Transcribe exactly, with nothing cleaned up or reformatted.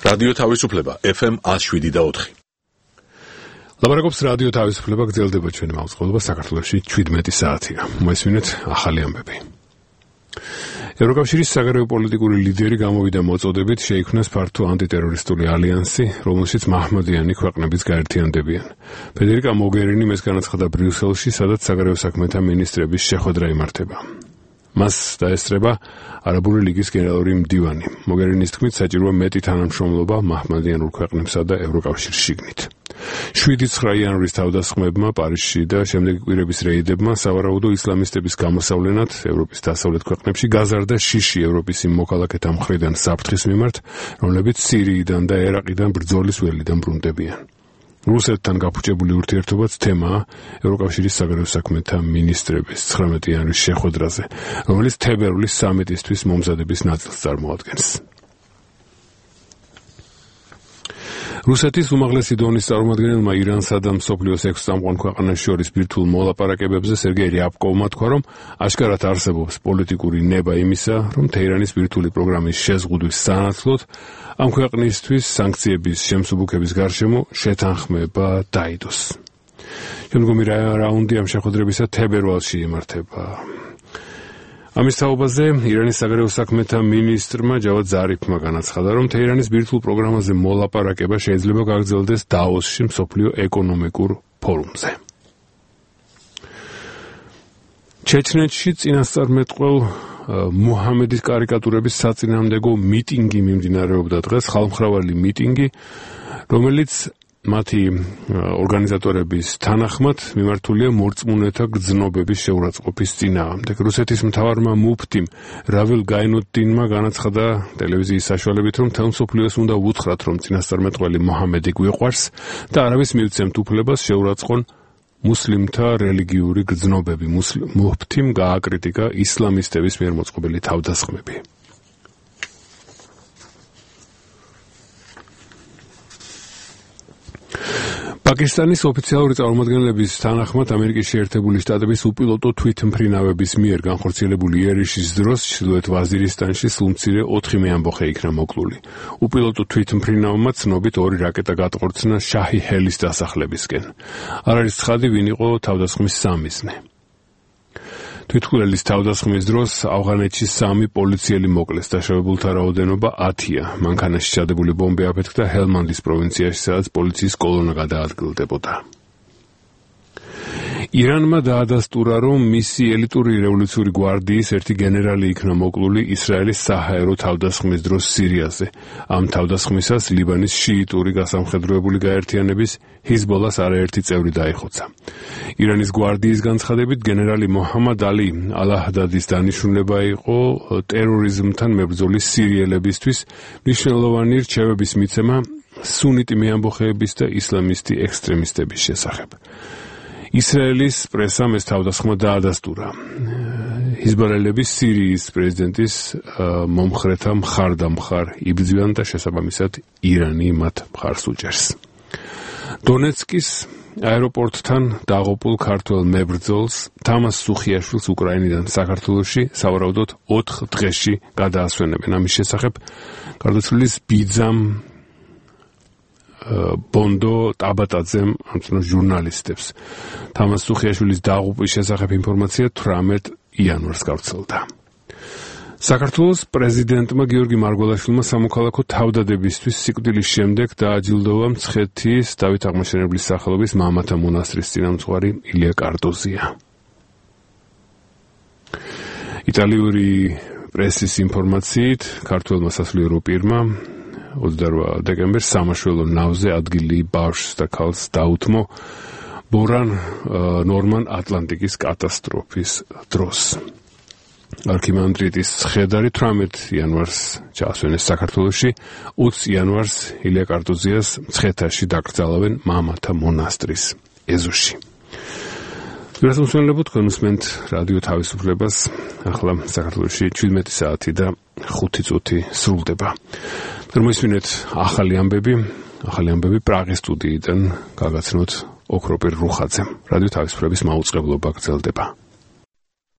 რადიო თავისუფლება ეფ ემ one oh seven და four. ლაბარაკობს რადიო თავისუფლება, გრძელდება ჩვენი მაუწყებლობა საქართველოში seventeen საათია. მოესმინეთ ახალი ამბები. ევროკავშირის საგარეო პოლიტიკური ლიდერი გამოვიდა მოწოდებით შეიქმნას ფართო ანტიტერორისტული ალიანსი, რომელშიც მაჰმადიანი ქვეყნებიც გაერთიანდებიან. ფედერიკა მოგერინი მეს განაცხადა ბრიუსელში, სადაც საგარეო საქმეთა მინისტრების შეხვედრა იმართება. მას დაესწრება არაბული ლიგის გენერალური მდივანი. მოგერინის თქმით, საჭიროა მეტი თანამშრომლობა მაჰმადიანურ ქვეყნებსა და ევროკავშირის შიგნით. seven nine იანვრის თავდასხმებმა პარიზში და შემდეგი კვირების რეიდებმა სავარაუდო ისლამისტების გამოსავლენად ევროპის დასავლეთ ქვეყნებში გაზარდა შიში ევროპის იმ მოქალაქეთა მხრიდან საფრთხის მიმართ, რომლებიც სირიიდან და ერაყიდან ბრძოლის ველიდან ბრუნდებიან. რუსეთთან გაფუჭებული ურთიერთობაც თემაა ევროკავშირის საგარეო საქმეთა მინისტრების nineteen იანვრის შეხვედრაზე, რომელიც თებერვლის სამიტისთვის მომზადების ნაწილს წარმოადგენს. რუსეთის უმაღლესი დონის წარმომადგენელმა ირანსა და მსოფლიოს six წამყვან ქვეყანას შორის ბირთვულ მოლაპარაკებებზე სერგეი რიაბკოვმა თქვა, რომ აშკარად არსებობს პოლიტიკური ნება იმისა, რომ თეირანის ბირთვული პროგრამის შეზღუდვის სანაცვლოდ ამ ქვეყნისთვის სანქციების შემსუბუქების გარშემო შეთანხმება დაიდოს. შემდგომი რაუნდი ამ შეხვედრებისა თებერვალში იმართება. ამის თაობაზე ირანის საგარეო საქმეთა მინისტრმა ჯავად ზარიფმა განაცხადა, რომ თეირანის ბირთვულ პროგრამაზე მოლაპარაკება შეიძლება გაგრძელდეს დაოსში მსოფლიო ეკონომიკურ ფორუმზე. ჩეჩნეთში წინასწარმეტყველ მუჰამედის კარიკატურების საწინააღმდეგო მიტინგი მიმდინარეობდა დღეს, ხალხმრავალი მიტინგი, რომელიც მათი ორგანიზატორების თანახმად მიმართულია მორწმუნეთა გრძნობების შეურაცხყოფის წინააღმდეგ. რუსეთის მთავარმა მუფტიმ რავილ გაინუდდინმა განაცხადა ტელევიზიის საშუალებით, რომ მთელ მსოფლიოს უნდა უთხრათ, რომ წინასწარმეტყველი მუჰამედი გვიყვარს და არავის მივცემთ უფლებას შეურაცხონ მუსლიმთა რელიგიური გრძნობები. მუფტიმ გააკრიტიკა ისლამისტების მიერ მოწყობილი თავდასხმები. პაკისტანის ოფიციალური წარმომადგენლების თანახმად ამერიკის შეერთებული შტატების უპილოტო თვითმფრინავების მიერ განხორციელებული იერიშის დროს ჩრდილოეთ ვაზირისტანში სულმცირე ოთხი მეამბოხე იქნა მოკლული. უპილოტო თვითმფრინავმა ცნობით ორი რაკეტა გატყორცნა შაჰი ჰელის დასახლებისკენ. არ არის ცხადი, ვინ იყო თავდასხმის სამიზნე. თვითმფრინავის თავდასხმის დროს ავღანეთში სამი პოლიციელი მოკლეს, დაშავებულთა რაოდენობა ათია. მანქანაში ჩადებული ბომბი აფეთქდა ჰელმანდის პროვინციაში, სადაც პოლიციის კოლონა გადაადგილდებოდა. ირანმა დაადასტურა, რომ მისი ელიტური რევოლუციური გვარდიის ერთი გენერალი იქნა მოკლული ისრაელის საჰაერო თავდასხმის დროს სირიაზე. ამ თავდასხმისას ლიბანის შიიტური გასამხედროებული გაერთიანების ჰიზბოლას არაერთი წევრი დაიხოცა. ირანის გვარდიის განცხადებით, გენერალი მოჰამად ალი ალაჰდადის დანიშნულება იყო ტერორიზმთან მებრძოლის სირიელებისთვის მნიშვნელოვანი რჩევების მიცემა სუნიტი მეამბოხეების და ისლამისტი ექსტრემისტების შესახებ. ისრაელის პრესამ ეს თავდასხმა დაადასტურა. ჰიზბალელები სირიის პრეზიდენტის მომხრეთა მხარდამხარ იბრძვიან და შესაბამისად ირანი მათ მხარს უჭერს. დონეცკის აეროპორტთან დაღუპულ ქართველ მებრძოლს თამას სუხიაშვილს უკრაინიდან საქართველოში სავარაუდოდ ოთხ დღეში გადაასვენებენ. ამის შესახებ გარდაცვლილის ბიძამ ბონდო ტაბატაძემ ამცნო ჟურნალისტებს. თამას სუხიაშვილის დაღუპვის შესახებ ინფორმაცია eighteen იანვარს გავრცელდა. საქართველოს პრეზიდენტმა გიორგი მარგველაშვილმა სამოქალაქო თავდადებისთვის სიკვდილის შემდეგ დააჯილდოვა მცხეთის დავით აღმაშენებლის სახელობის მამათა მონასტრის წინამძღვარი ილია კარტოზია. იტალიური პრესის ინფორმაციით, ქართველმა სასულიერო პირმა twenty-eighth დეკემბერს სამაშველო ნავზე ადგილი ბავშვს და ქალს დაუთმო ბორან ნორმან ატლანტიკის კატასტროფის დროს. არქიმანდრიტის ცხედარი eighteen იანვარს ჩაასვენეს საქართველოში, twenty იანვარს ილია კარტოზიას მცხეთაში დაკრძალავენ მამათა მონასტრის ეზოში. გასამსვენებლად თქვენ უსმენთ რადიო თავისუფლებას, ახლა საქართველოში seventeen საათი და ხუთი წუთი სრულდება. მოისმინეთ ახალი ამბები, ახალი ამბები პრაღის სტუდიიდან გაგაცნოთ ოქროპირ რუხაძემ. რადიო თავისუფლების მაუწყებლობა გრძელდება.